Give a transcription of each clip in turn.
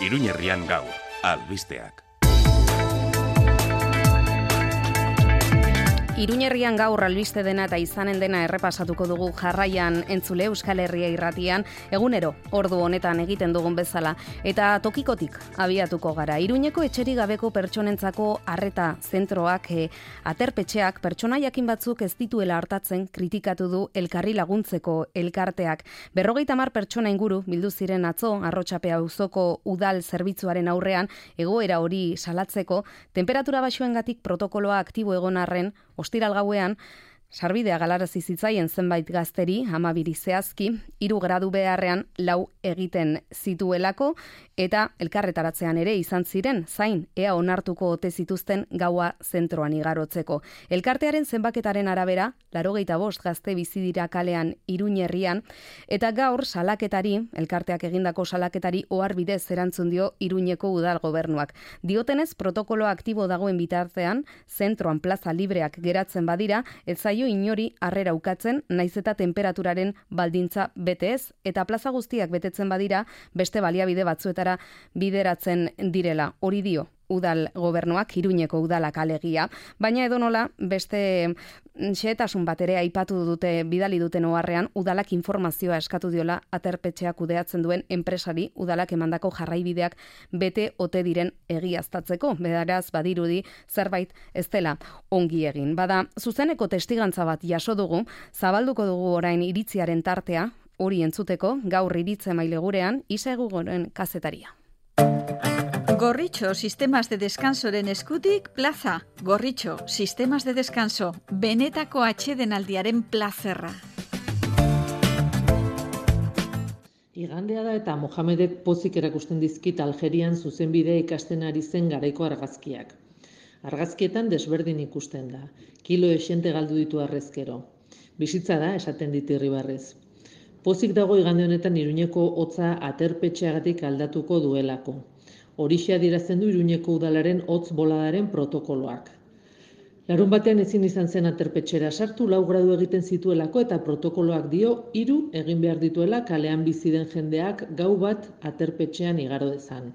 Iruñerrian gaur, albisteak. Iruñerrian gaur albiste dena eta izanen dena errepasatuko dugu jarraian entzule Euskal Herria irratian, egunero ordu honetan egiten dugun bezala, eta tokikotik abiatuko gara. Iruñeko etxerik gabeko pertsonentzako arreta zentroak, aterpetxeak pertsona jakin batzuk ez dituela hartatzen kritikatu du Elkarri Laguntzeko elkarteak. 50 pertsona inguru bildu ziren atzo Arrotxapea auzoko udal zerbitzuaren aurrean egoera hori salatzeko, temperatura baxuengatik protokoloa aktibo egon arren, ostiral gauean, sarbidea galarazi zitzaien zenbait gazteri, 12 zehazki, 3 gradu beharrean 4 egiten zituelako, eta elkarretaratzean ere izan ziren, zain, ea onartuko ote zituzten gaua zentroan igarotzeko. Elkartearen zenbaketaren arabera, 85 gazte bizi dira kalean Iruñerrian, eta gaur salaketari, elkarteak egindako salaketari oharbidez erantzun dio Iruñeko udal gobernuak. Diotenez, protokolo aktibo dagoen bitartean, zentroan plaza libreak geratzen badira, ez zaio inori harrera ukatzen, naiz eta temperaturaren baldintza bete ez, eta plaza guztiak betetzen badira, beste baliabide batzuetara bideratzen direla. Hori dio udal gobernuak, Iruñeko udalak alegia, baina edonola beste xehetasun bat ere aipatu dute bidali duten oharrean, udalak informazioa eskatu diola aterpetxea kudeatzen duen enpresari, udalak emandako jarraibideak bete ote diren egiaztatzeko. Beraz, badirudi zerbait ez dela ongi egin. Bada, zuzeneko testigantza bat jaso dugu, zabalduko dugu orain iritziaren tartea, hori entzuteko, gaur iritze maile gurean, Isa Egugoren kazetaria. Gorritxo Sistemas de Descansoren eskutik plaza. Gorritxo Sistemas de Descanso, benetako atsedenaldiaren plazerra. Igandea da eta Mohamedek pozik erakusten dizkit Algerian zuzenbidea ikasten ari zen garaiko argazkiak. Argazkietan desberdin ikusten da. Kilo esente galdu ditu arrezkero. Bizitza da, esaten dit Irribarrez. Pozik dago igande honetan Iruñeko hotza aterpetxeagatik aldatuko duelako. Horixe adierazten du Iruñeko udalaren hotz boladaren protokoloak. Larun batean ezin izan zen aterpetxera sartu, 4 gradu egiten zituelako eta protokoloak dio 3 egin behar dituela kalean bizi den jendeak gau bat aterpetxean igaro dezan.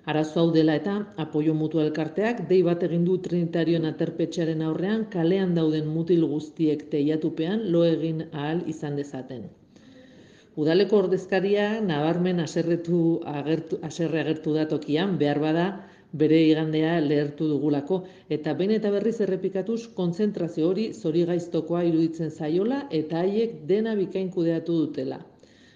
Arazo hau dela eta apoio mutua elkarteak dei bat egin du Trinitarioen aterpetxearen aurrean kalean dauden mutil guztiek teilatupean lo egin ahal izan dezaten. Udaleko ordezkaria nabarmen haserre agertu da tokian, behar bada bere igandea lehertu dugulako, eta behin eta berriz errepikatuz kontzentrazio hori zorigaiztokoa iruditzen zaiola eta haiek dena bikain kudeatu dutela.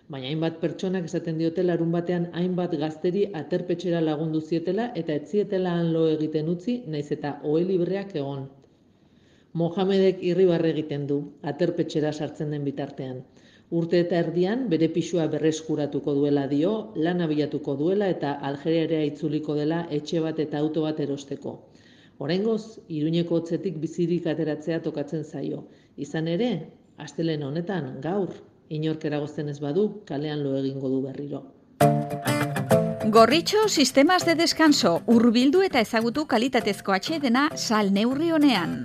Baina hainbat pertsonak esaten diote larun batean hainbat gazteri aterpetxera lagundu zietela eta ez zietela han lo egiten utzi, naiz eta ohe libreak egon. Mohamedek irribarre egiten du, aterpetxera sartzen den bitartean. Urte eta erdian bere pisua berreskuratuko duela dio, lan abiatuko duela eta Algeriara itzuliko dela etxe bat eta auto bat erosteko. Oraingoz, Iruñeko hotzetik bizirik ateratzea tokatzen zaio. Izan ere, astelehen honetan, gaur, inork eragozten ez badu, kalean lo egingo du berriro. Gorritxo Sistemas de Descanso, hurbildu eta ezagutu kalitatezko atsedena salneurri honean.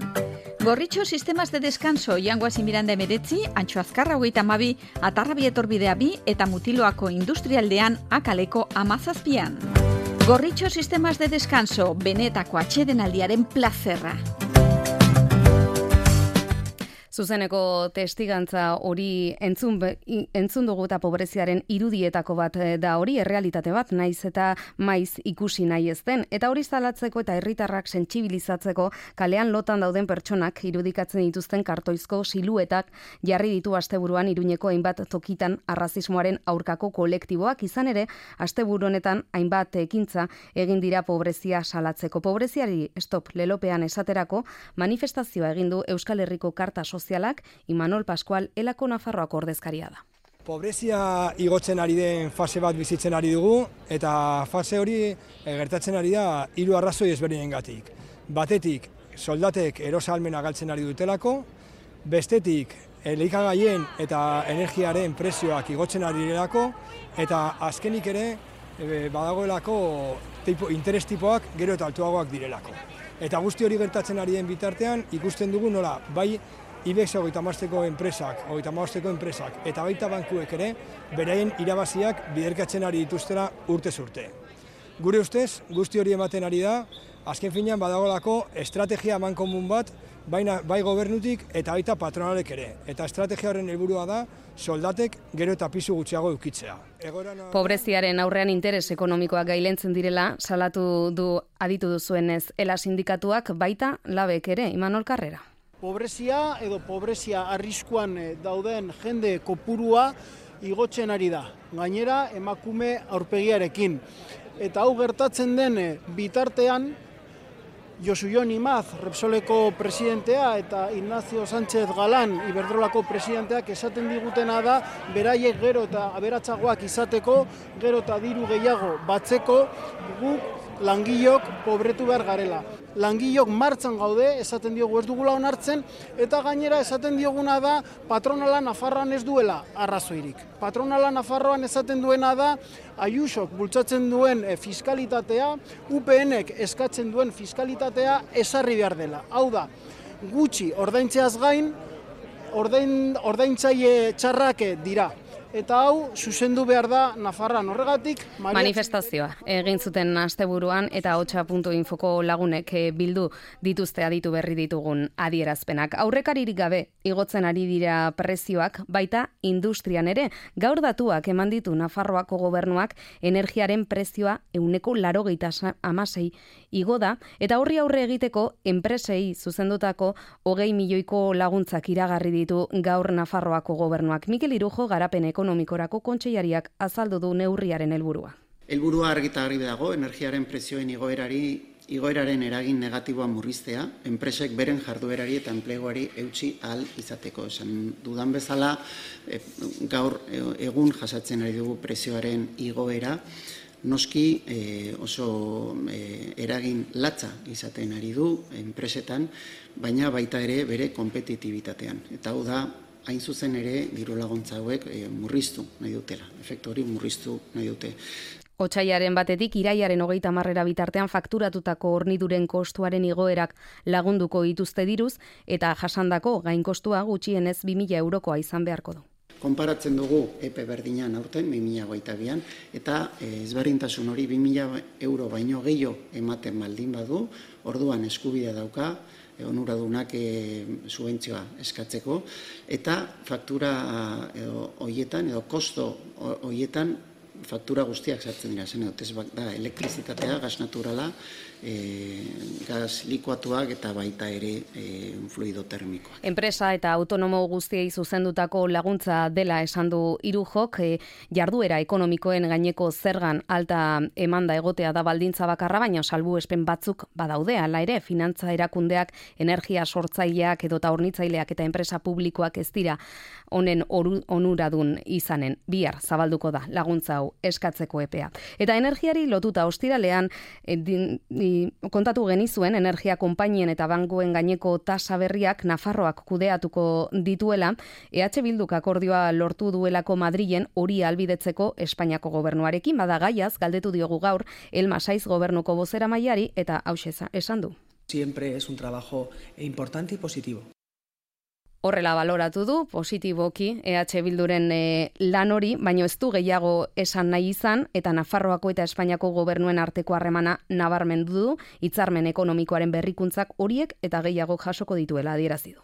Gorritxo Sistemas de Descanso, Jangoasi Miranda 19, Antxo Azkarra 32, Atarrabi etorbidea 2 eta Mutiloako industrialdean akaleko 17an. Gorritxo Sistemas de Descanso, benetako atsedenaldiaren plazerra. Zuzeneko testigantza hori entzun dugu eta pobreziaren irudietako bat da hori, errealitate bat, naiz eta maiz ikusi nahi ez den. Eta hori zalatzeko eta herritarrak sentsibilizatzeko kalean lotan dauden pertsonak irudikatzen dituzten kartoizko siluetak jarri ditu asteburuan Iruñeko hainbat tokitan arrazismoaren aurkako kolektiboak, izan ere, asteburu honetan hainbat ekintza egin dira pobrezia salatzeko. Pobreziari stop lelopean esaterako manifestazioa egin du Euskal Herriko Karta Sozialak, Imanol Pascual Elako Nafarroako ordezkaria da. Pobrezia igotzen ari den fase bat bizitzen ari dugu, eta fase hori gertatzen ari da 3 arrazoi ezberdinengatik. Batetik, soldatek erosahalmena galtzen ari dutelako, bestetik, elikagaien eta energiaren prezioak igotzen ari direlako, eta azkenik ere badagoelako interes tipoak gero eta altuagoak direlako. Eta guzti hori gertatzen ari den bitartean, ikusten dugu nola, bai IBEX 35ko enpresak eta baita bankuek ere, beraien irabaziak biderkatzen ari dituztera urtez urte. Gure ustez, guzti hori ematen ari da, azken finean badagolako estrategia amankomun bat, bai gobernutik eta baita patronalek ere. Eta estrategia horren helburua da, soldatek gero eta pisu gutxiago edukitzea. Pobreziaren aurrean interes ekonomikoak gailentzen direla, salatu du aditu duzuenez, ELA sindikatuak baita labek ere, Imanol Karrera. Pobrezia edo pobrezia arriskuan dauden jende kopurua igotzen ari da. Gainera, emakume aurpegiarekin. Eta hau gertatzen den bitartean, Josu Jon Imaz, Repsoleko presidentea eta Ignacio Sánchez Galán, Iberdrolako presidenteak esaten digutena da, beraiek gero eta aberatsagoak izateko, gero eta diru gehiago batzeko, guk langilok pobretu behar garela. Langilok martxan gaude, esaten diogu ez dugula onartzen, eta gainera esaten dioguna da patronala Nafarroan ez duela arrazoirik. Patronala Nafarroan esaten duena da Ayusok bultzatzen duen fiskalitatea, UPNek eskatzen duen fiskalitatea ezarri behar dela. Hau da, gutxi ordaintzeaz gain, ordaintzaile txarrak dira. Eta hau, zuzendu behar da Nafarroan horregatik. Manifestazioa egin zuten asteburuan eta hotxa.infoko lagunek bildu dituzte aditu berri ditugun adierazpenak. Aurrekaririk gabe igotzen ari dira prezioak, baita industrian ere. Gaur datuak eman ditu Nafarroako gobernuak energiaren prezioa 186 igo da, eta horri aurre egiteko enpresei zuzendutako 20 milioiko laguntzak iragarri ditu gaur Nafarroako gobernuak. Mikel Irujo garapen ekonomikorako kontseilariak azaldu du neurriaren helburua. Helburua argi eta garbi dago, energiaren prezioen igoeraren eragin negatiboa murriztea, enpresek beren jarduerari eta enpleguari eutsi ahal izateko. Esan dudan bezala, gaur egun jasatzen ari dugu prezioaren igoera, noski oso eragin latza izaten ari du enpresetan, baina baita ere bere konpetitibitatean. Eta hau da, hain zuzen ere diru laguntza hauek murriztu nahi dutela. Efektu hori murriztu nahi dute. Otsaiaren batetik iraiaren 30 bitartean fakturatutako horniduren kostuaren igoerak lagunduko dituzte diruz eta jasandako gainkostua gutxienez 2.000 eurokoa izan beharko du. Konparatzen dugu epe berdinan aurten 2022an eta ezberdintasun hori 2.000 euro baino gehiago ematen baldin badu, orduan eskubidea dauka onuradunak subentzioa eskatzeko, eta faktura horietan edo kosto horietan faktura guztiak sartzen dira, zen ez da elektrizitatea, gas naturala, gas likuatuak eta baita ere fluido termikoak. Enpresa eta autonomo guztiei zuzendutako laguntza dela esan du Irujok, jarduera ekonomikoen gaineko zergan alta emanda egotea da baldintza bakarra, baina salbuespen batzuk badaude, hala ere finantza erakundeak, energia sortzaileak edota hornitzaileak eta enpresa publikoak ez dira honen onuradun izanen. Bihar zabalduko da laguntza hau eskatzeko epea. Eta energiari lotuta ostiralean kontatu genizuen energia konpainien eta bankuen gaineko tasa berriak Nafarroak kudeatuko dituela, EH Bilduk akordioa lortu duelako Madrilen hori ahalbidetzeko Espainiako gobernuarekin, bada gaiaz galdetu diogu gaur Elma Saiz gobernuko bozeramaileari eta hauxe esan du. Siempre es un trabajo importante y positivo. Horrela baloratu du, positiboki, EH Bilduren lan hori, baina ez du gehiago esan nahi izan, eta Nafarroako eta Espainiako gobernuen arteko harremana nabarmendu du, hitzarmen ekonomikoaren berrikuntzak horiek eta gehiago jasoko dituela adierazi du.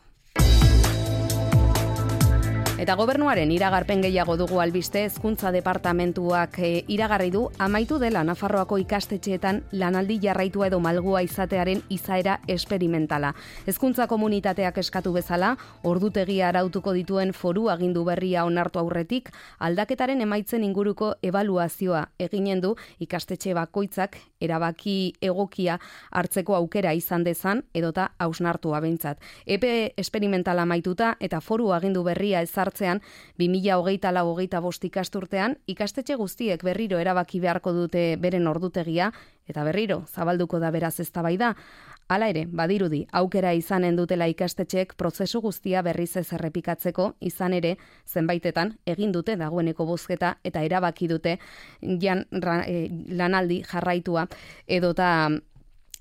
Eta gobernuaren iragarpen gehiago dugu albiste, hezkuntza departamentuak iragarri du amaitu dela Nafarroako ikastetxeetan lanaldi jarraitua edo malgua izatearen izaera esperimentala. Hezkuntza komunitateak eskatu bezala, ordutegia arautuko dituen foru agindu berria onartu aurretik, aldaketaren emaitzen inguruko ebaluazioa eginen du ikastetxe bakoitzak erabaki egokia hartzeko aukera izan dezan edota hausnartua behintzat. Epe esperimentala amaituta eta foru agindu berria ezartzean 2024-25 ikasturtean ikastetxe guztiek berriro erabaki beharko dute beren ordutegia eta berriro zabalduko da beraz eztabaida. Hala ere, badirudi, aukera izanen dutela ikastetxeek prozesu guztia berriz ez errepikatzeko, izan ere, zenbaitetan egin dute dagoeneko bozketa eta erabaki dute lanaldi jarraitua edota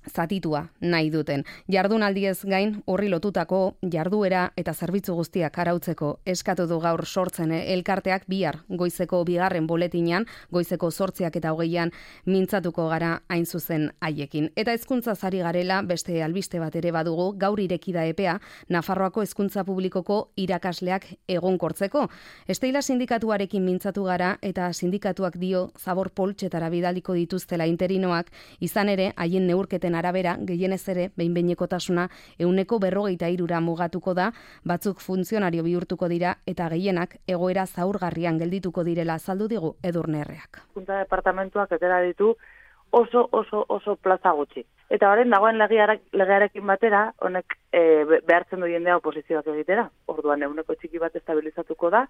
zatitua nahi duten. Jardunaldiez gain horri lotutako jarduera eta zerbitzu guztiak arautzeko eskatu du gaur sortzen elkarteak bihar goizeko 2. boletinean, goizeko 8:20 mintzatuko gara hain zuzen haiekin. Eta hezkuntza ari garela beste albiste bat ere badugu, gaur ireki da epea Nafarroako hezkuntza publikoko irakasleak egonkortzeko. Esteila sindikatuarekin mintzatu gara eta sindikatuak dio zabor poltsetara bidaliko dituztela interinoak, izan ere haien neurketen arabera gehienez ere behin-behinekotasuna 143 mugatuko da, batzuk funtzionario bihurtuko dira eta gehienak egoera zaurgarrian geldituko direla azaldu digu Edurne Erreak. Hezkuntza departamentuak atera ditu oso plaza gutxi. Eta orain dagoen legearekin batera, honek behartzen du jendea oposizioak egitera. Orduan eguneko txiki bat estabilizatuko da,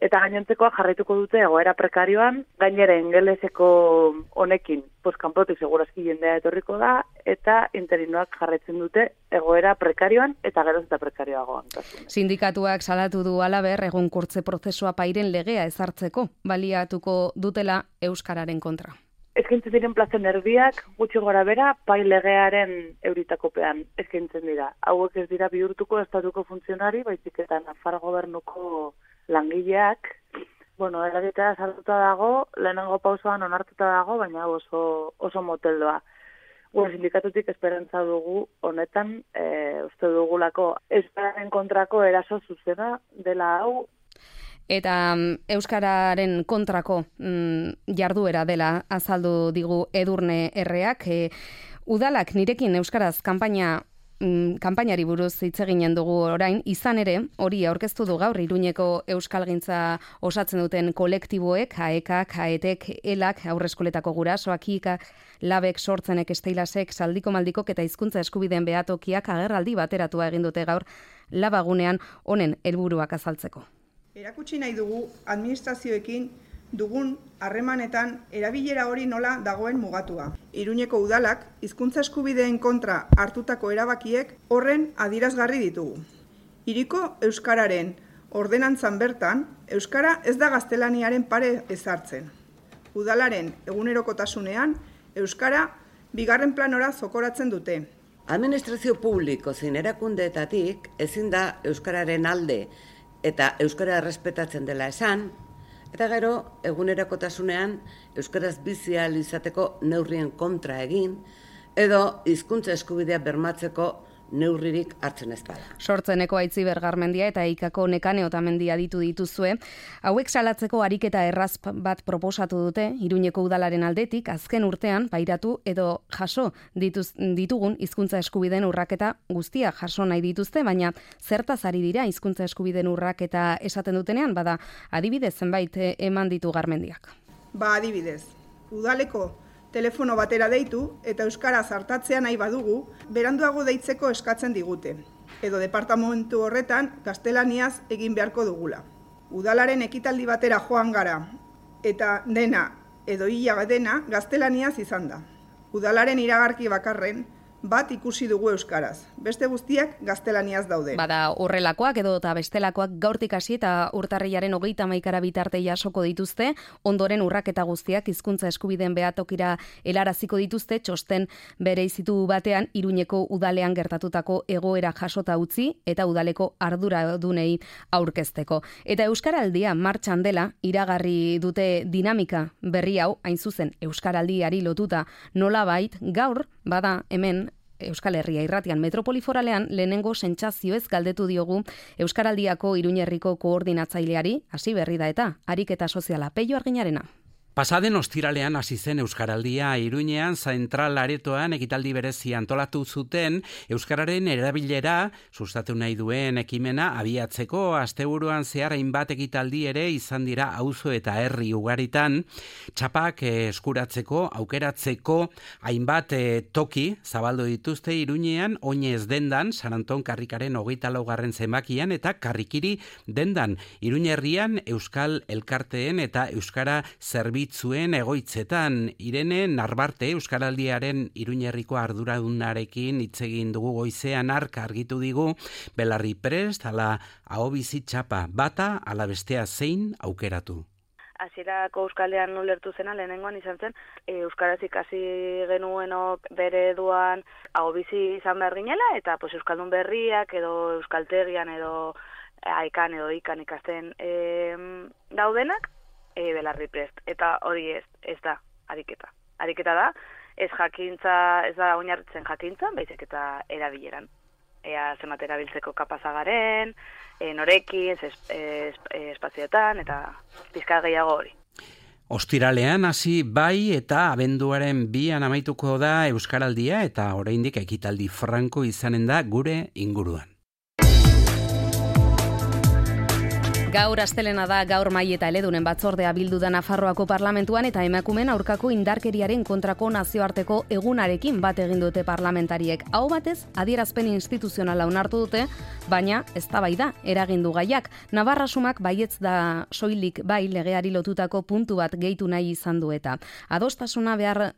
eta gainontzekoak jarraituko dute egoera prekarioan, gainera ingeleseko honekin, kanpotik segurazki jendea etorriko da, eta interinoak jarraitzen dute egoera prekarioan eta geroz eta prekarioagoan. Sindikatuak salatu du halaber egonkortze prozesua pairen legea ezartzeko, baliatuko dutela euskararen kontra. Eskaintzen diren plazen erdiak, gutxi gora bera, pai legearen euritakopean eskaintzen dira. Hauek ez dira bihurtuko estatuko funtzionari, baizik eta Nafar gobernuko langileak, eragitea sartuta dago, lehenengo pausoan onartuta dago, baina oso moteldoa. Sindikatutik esperantza dugu honetan, uste dugulako euskararen kontrako eraso zuzena dela hau. Eta euskararen kontrako jarduera dela azaldu digu Edurne Erreak. Udalak nirekin euskaraz kanpainari buruz hitz eginen dugu orain, izan ere, hori aurkeztu du gaur Iruñeko euskalgintza osatzen duten kolektiboek, AEKak, AETek, ELAK, aurreskoletako gurasoak, IKak, LABek, sortzenek, Esteilasek, Saldiko Maldikok eta hizkuntza eskubideen behatokiak agerraldi bateratua egin dute gaur labagunean honen helburuak azaltzeko. Erakutsi nahi dugu administrazioekin dugun harremanetan erabilera hori nola dagoen mugatua. Iruñeko udalak hizkuntza eskubideen kontra hartutako erabakiek horren adierazgarri ditugu. Hiriko euskararen ordenantzan bertan, euskara ez da gaztelaniaren pare ezartzen. Udalaren egunerokotasunean, euskara bigarren planora zokoratzen dute. Administrazio publiko zein erakundeetatik ezin da euskararen alde eta euskara errespetatzen dela esan, eta gero egunerokotasunean euskaraz bizi ahal izateko neurrien kontra egin, edo hizkuntza eskubidea bermatzeko neurririk hartzen ez bada. Sortzeneko Aitziber Garmendia eta Ikako Nekane Otamendia ditu dituzue. Hauek salatzeko ariketa erraz bat proposatu dute Iruñeko udalaren aldetik, azken urtean pairatu edo jaso ditugun hizkuntza eskubideen urraketa guztia jaso nahi dituzte, baina zertaz ari dira hizkuntza eskubideen urraketa esaten dutenean, bada adibidez zenbait eman ditu Garmendiak. Adibidez, udaleko telefono batera deitu eta euskaraz artatzea nahi badugu, beranduago deitzeko eskatzen digute, edo departamentu horretan gaztelaniaz egin beharko dugula. Udalaren ekitaldi batera joan gara, eta dena edo hila dena gaztelaniaz izan da. Udalaren iragarki bakarren bat ikusi dugu euskaraz. Beste guztiak gaztelaniaz daude. Bada horrelakoak edo eta bestelakoak gaurtik hasi eta urtarrilaren 31 bitarte jasoko dituzte, ondoren urraketa guztiak hizkuntza eskubideen behatokira helaraziko dituzte, txosten bereizitu batean Iruñeko udalean gertatutako egoera jasota utzi eta udaleko arduradunei aurkezteko. Eta Euskaraldia martxan dela iragarri dute dinamika berri hau, hain zuzen Euskaraldiari lotuta nolabait gaur bada hemen Euskal Herria irratian metropoliforalean lehenengo sentsazioez galdetu diogu Euskaraldiako Iruñerriko koordinatzaileari, hasi berri da eta ariketa soziala Peio Arginarena. Pasaden ostiralean hasi zen Euskaraldia Iruñean zentral aretoan ekitaldi berezi antolatu zuten euskararen erabilera sustatu nahi duen ekimena abiatzeko asteburuan zehar hainbat ekitaldi ere izan dira auzo eta herri ugaritan txapak eskuratzeko aukeratzeko hainbat toki zabaldu dituzte Iruñean Oinez dendan San Anton Karrikaren 24. zenbakian eta Karrikiri dendan Iruñerrian Euskal Elkarteen eta Euskara Zerbitzuen egoitzetan. Irene Narbarte Euskaraldiaren Iruñerriko arduradunarekin hitz egin dugu goizean hark argitu digu belarri prest ala ahobizi txapa bata ala bestea zein aukeratu. hasierako euskalean ulertu zena lehenengoan izan zen, euskaraz ikasi genuenok bere eduan hau bizi izan behar ginela, eta pues, euskaldun berriak edo euskaltegian edo aikan edo ikan ikasten daudenak, belarri prest. Eta hori ez da ariketa. Ariketa da, ez da oinarritzen jakintzan, baizik eta erabileran. Ea zenbat erabiltzeko kapazagaren, norekin, espazioetan, eta pizka gehiago hori. Ostiralean hasi bai eta abenduaren 2an amaituko da Euskaraldia eta oraindik ekitaldi franko izanen da gure inguruan. Gaur astelena da, gaur Mai eta Eledunen batzordea bildu da Nafarroako parlamentuan eta emakumeen aurkako indarkeriaren kontrako nazioarteko egunarekin bat egin dute parlamentariek. Aho batez, adierazpen instituzionala onartu dute, baina eztabaida eragin du gaiak. Navarra sumak baietz da soilik bai legeari lotutako puntu bat gehitu nahi izan du eta adostasuna behar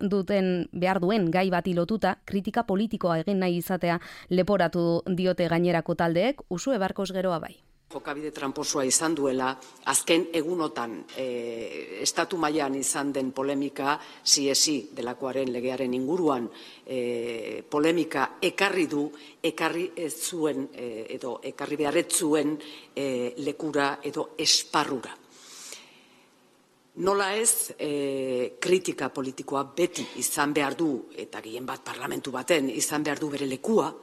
duen gai bati lotuta kritika politikoa egin nahi izatea leporatu diote gainerako taldeek, Usue Barkos Geroa bai. Jokabide tramposoa izan duela, azken egunotan estatu mailan izan den polemika, CSI delakoaren legearen inguruan polemika ekarri ez zuen edo ekarri beharretzuen lekura edo esparrura. Nola ez, kritika politikoa beti izan behar du, eta gehien bat parlamentu baten izan behar du bere lekua,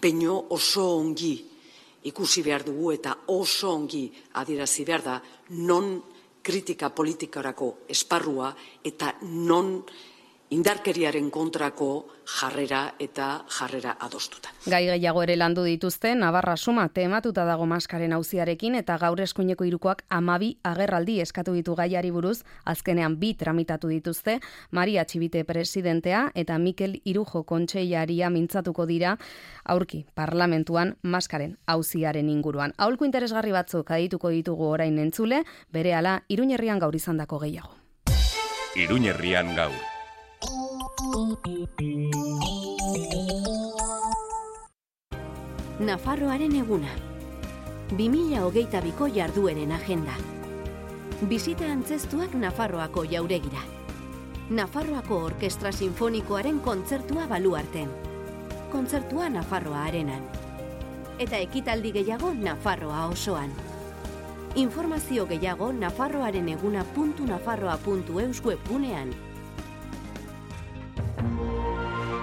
baino oso ongi ikusi behar dugu eta oso ongi adierazi behar da non kritika politikarako esparrua eta non indarkeriaren kontrako jarrera eta jarrera adostuta. Gai gehiago ere landu dituzte, Navarra suma tematuta dago maskaren auziarekin eta gaur eskuineko hirukoak 12 agerraldi eskatu ditu gaiari buruz, azkenean 2 tramitatu dituzte, Maria Txibite presidentea eta Mikel Irujo kontseilaria mintzatuko dira aurki parlamentuan maskaren auziaren inguruan. Aholku interesgarri batzuk adituko ditugu orain entzule, berehala Iruñerrian gaur izandako gehiago. Iruñerrian gaur. Nafarroaren eguna. 2022ko jardueren agenda. Bisita antzestuak Nafarroako jauregira. Nafarroako Orkestra Sinfonikoaren kontzertua Baluarten. Kontzertua Nafarroa Arenan. Eta ekitaldi gehiago Nafarroa osoan. Informazio gehiago nafarroareneguna.nafarroa.eus webgunean.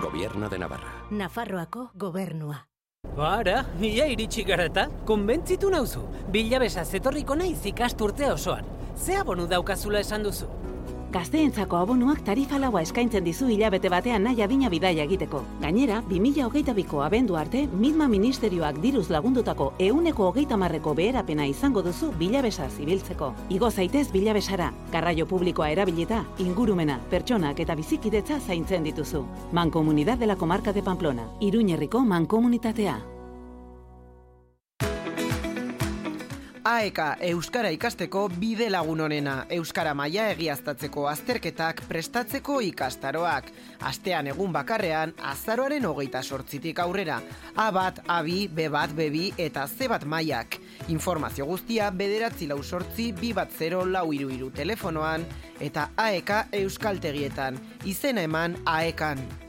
Gobierno de Navarra. Nafarroako gobernua. Bara, ia iritsi gara eta, konbentzitu nauzu. Bilabesa zetorriko naiz ikasturte osoan. Ze abonu daukazula esan duzu? Gazteentzako abonuak tarifa laua eskaintzen dizu hilabete batean nahi adina bidaia egiteko. Gainera, 2022ko abendu arte, Midma Ministerioak diruz lagundutako 130%ko beherapena izango duzu bilabesa zibiltzeko. Igo zaitez bilabesara, garraio publikoa erabilita, ingurumena, pertsonak eta bizikidetza zaintzen dituzu. Mancomunidad de la Comarca de Pamplona, Iruñerriko mankomunitatea. AEK Euskara ikasteko bide lagun honena, Euskara maila egiaztatzeko azterketak prestatzeko ikastaroak. Astean egun bakarrean, azaroaren 28tik aurrera. A1, A2, B1, B2 eta C1 mailak. Informazio guztia 948-210-433 telefonoan eta AEK Euskaltegietan. Izena eman AEKan.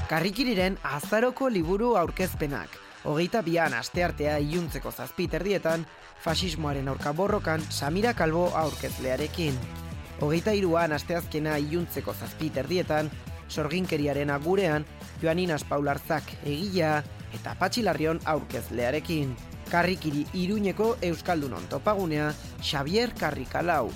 Karrikiriren azaroko liburu aurkezpenak. 22an asteartea iluntzeko 7:30 fasismoaren aurka borrokan Samira Kalbo aurkezlearekin. 23an asteazkena iluntzeko 7:30 sorginkeriaren agurean Joaninas Paularzak egilea eta Patxi Larrion aurkezlearekin. Karrikiri Iruñeko Euskaldunon topagunea Xavier Karrikalau.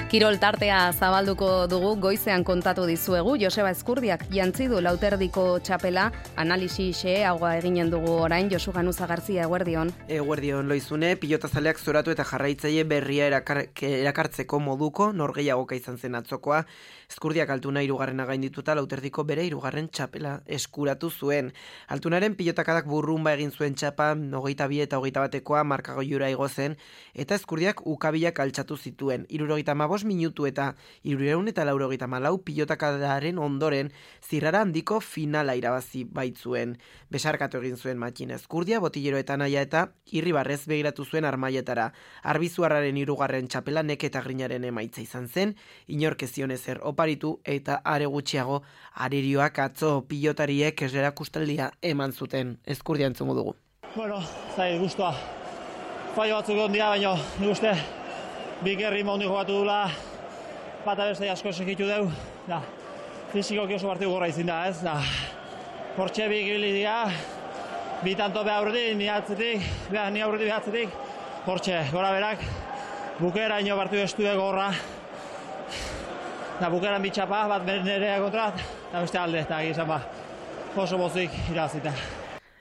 Kirol tartea zabalduko dugu, goizean kontatu dizuegu, Joseba Ezkurdiak jantzi du Lauterdiko txapela, analisi xeheagoa eginen dugu orain, Josu Ganuza Garzia, eguerdion. Eguerdion, Loizune, pilotazaleak zoratu eta jarraitzaile berria erakartzeko moduko, norgeiagoka izan zen atzokoa, Ezkurdiak Altuna 3. gaindituta Lauterdiko bere 3. txapela eskuratu zuen. Altunaren pilotakadak burrumba egin zuen txapa, 22 eta 21koa markagoiura igo zen, eta Ezkurdiak ukabilak altxatu zituen. 75 minutu eta 384 pilotakadaren ondoren zirrara handiko finala irabazi baitzuen. Besarkatu egin zuen Matxin Ezkurdia, Botillero eta Naia eta irribarrez begiratu zuen Armaietara. Arbizuarraren 3. txapela Neke eta Grinaren emaitza izan zen, inork ez zion ezer oparitu eta are gutxiago arerioak atzo pilotariek esera kustaldia eman zuten. Ezkurdia entzungo dugu. Bueno, zait guztua. Fallo batzuk ondia, baina nik uste bikerri mondi jokatu dula, bata beste asko segitu deu, da, fizikoki oso partidu gorra izin da, ez, da, hortxe bi gibili dira, bi tanto behaurretik, ni aurretik behatzetik, hortxe, gora berak, bukera ino partidu estue gorra, da, bukeran bitxapa, bat nerea kontrat, eta beste alde, eta gizan ba, oso bozik irazita.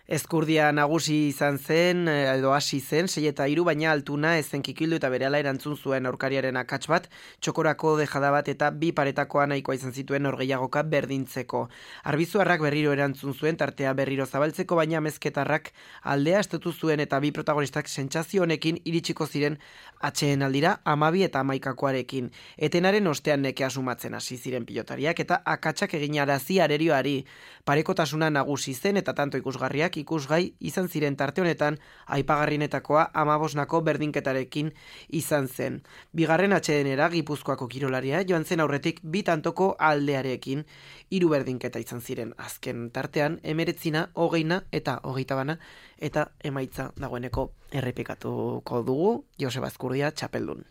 Ezkurdia nagusi izan zen, edo hasi zen, 6-3, baina Altuna ezen kikildu eta berehala erantzun zuen aurkariaren akats bat, txokorako dejada bat eta bi paretakoa nahikoa izan zituen norgehiagoka berdintzeko. Arbizuarrak berriro erantzun zuen, tartea berriro zabaltzeko, baina Mezketarrak aldea estatu zuen eta bi protagonistak sentsazio honekin iritsiko ziren atxeen aldira 12 eta 11koarekin. Etenaren ostean Neke asumatzen hasi ziren pilotariak eta akatsak egin arazi arerioari. Parekotasuna nagusi zen eta tanto ikusgarriak ikusgai izan ziren tarte honetan aipagarrienetakoa 15nako berdinketarekin izan zen. Bigarren atsedenera Gipuzkoako kirolaria joan zen aurretik bi tantoko aldearekin 3 berdinketa izan ziren. Azken tartean 19, 20 eta 21 eta emaitza dagoeneko errepikatuko dugu Joseba Ezkurdia txapeldun.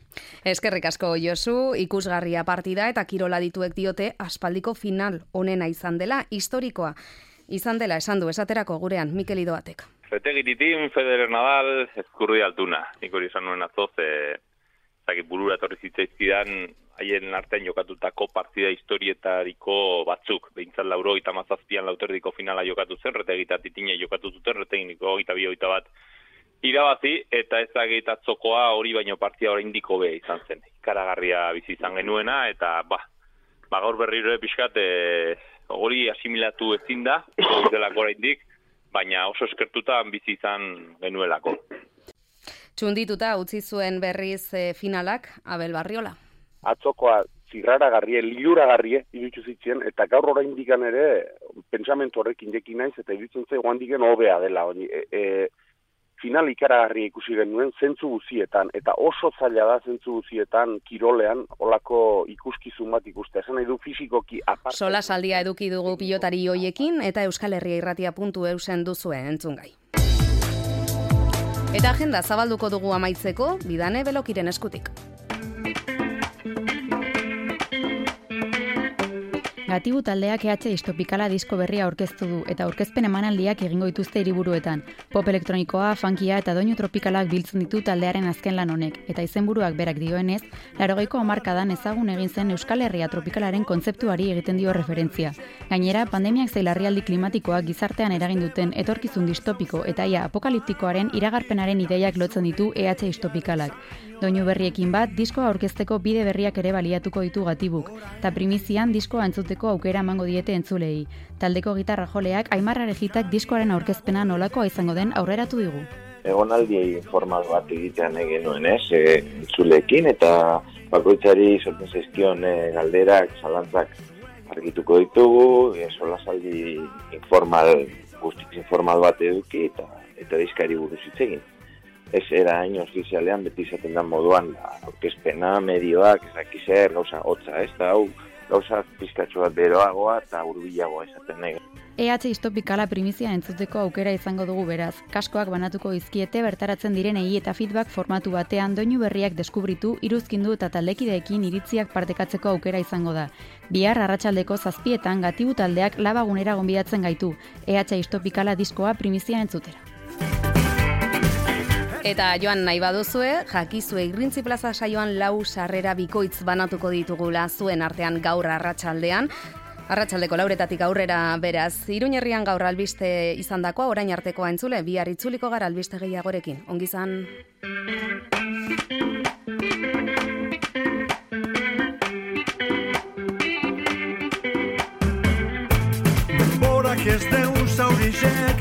Eskerrik asko Josu, ikusgarria partida eta kirola dituek diote aspaldiko final onena izan dela, historikoa izan dela esan du esaterako gurean Mikel Idoatek. Retegiritin, Federer Nadal, Ezkurdia Altuna. Nik hori izan nuen atzoz, burura etorri zitzaizkidan haien artean jokatutako partida historietariko batzuk. Behintzat 97an lauterdiko finala jokatu zen, Retegita Titine jokatu zuten, Reteginiko 22-21 irabazi, eta ezagit atzokoa hori baino partia oraindik hobe izan zen. Ikaragarria bizi izan genuena, eta gaur berriro pixkat hori asimilatu ezin da, hori delako oraindik, baina oso eskertuta bizi izan genuelako. Txundituta utzi zuen berriz finalak Abel Barriola. Atzokoa zirraragarrie, liluragarrie iruditu zitzen, eta gaur oraindikan ere pentsamentu horrekin dekin naiz, eta iruditzen zaigu handiken hobea dela. Final ikaragarria ikusi genuen zentzu guzietan, eta oso zaila da zentzu guzietan kirolean olako ikuskizun bat ikustea. Esan nahi du fisikoki aparte. Sola saldia eduki dugu pilotari hoiekin eta Euskal Herria Irratia.eusen duzuen entzungai. Eta agenda zabalduko dugu amaitzeko Bidane Belokiren eskutik. Gatibu taldeak EH Distopikala disko berria aurkeztu du eta aurkezpen emanaldiak egingo dituzte hiriburuetan. Pop elektronikoa, funkia eta doinu tropikalak biltzen ditu taldearen azken lan honek, eta izenburuak berak dioenez, 80ko hamarkadan ezagun egin zen Euskal Herria tropikalaren kontzeptuari egiten dio referentzia. Gainera, pandemiak zein larrialdi klimatikoak gizartean eragin duten etorkizun distopiko eta ia apokaliptikoaren iragarpenaren ideiak lotzen ditu EH Distopikalak. Doinu berriekin bat, diskoa aurkezteko bide berriak ere baliatuko ditu Gatibuk, eta primizian diskoa entzuteko aukera emango diete entzulei. Taldeko gitarra joleak Aimar Arejitak diskoaren aurkezpena nolakoa izango den aurreratu digu. Egonaldi formal bat egitean genuen, entzuleekin, eta bakoitzari sortzen zaizkion galderak, zalantzak argituko ditugu, solasaldi guztiz informal bat eduki, eta diskari buruz hitz egin. Ez era hain ofizialean beti izaten da moduan aurkezpena, medioak, ezakizer, gauza hotza, ez da hau gauza pizkatxo bat beroagoa eta hurbilagoa esaten nahi. EH Distopikala primizia entzuteko aukera izango dugu beraz. Kaskoak banatuko izkiete bertaratzen direnei eta feedback formatu batean doinu berriak deskubritu, iruzkindu eta taldekideekin iritziak partekatzeko aukera izango da. Bihar arratsaldeko 7:00 Gatibu taldeak Labagunera gonbidatzen gaitu. EH Distopikala diskoa primizia entzutera. Eta joan nahi baduzue, jakizue Irrintzi Plaza saioan 4 sarrera bikoitz banatuko ditugula zuen artean gaur arratsaldean. Arratsaldeko 4:00 aurrera beraz, Iruñerrian gaur albiste izandakoa orain artekoa entzule, bihar itzuliko gara albiste gehiagorekin. Ongi izan. Denborak ez deun zaurizen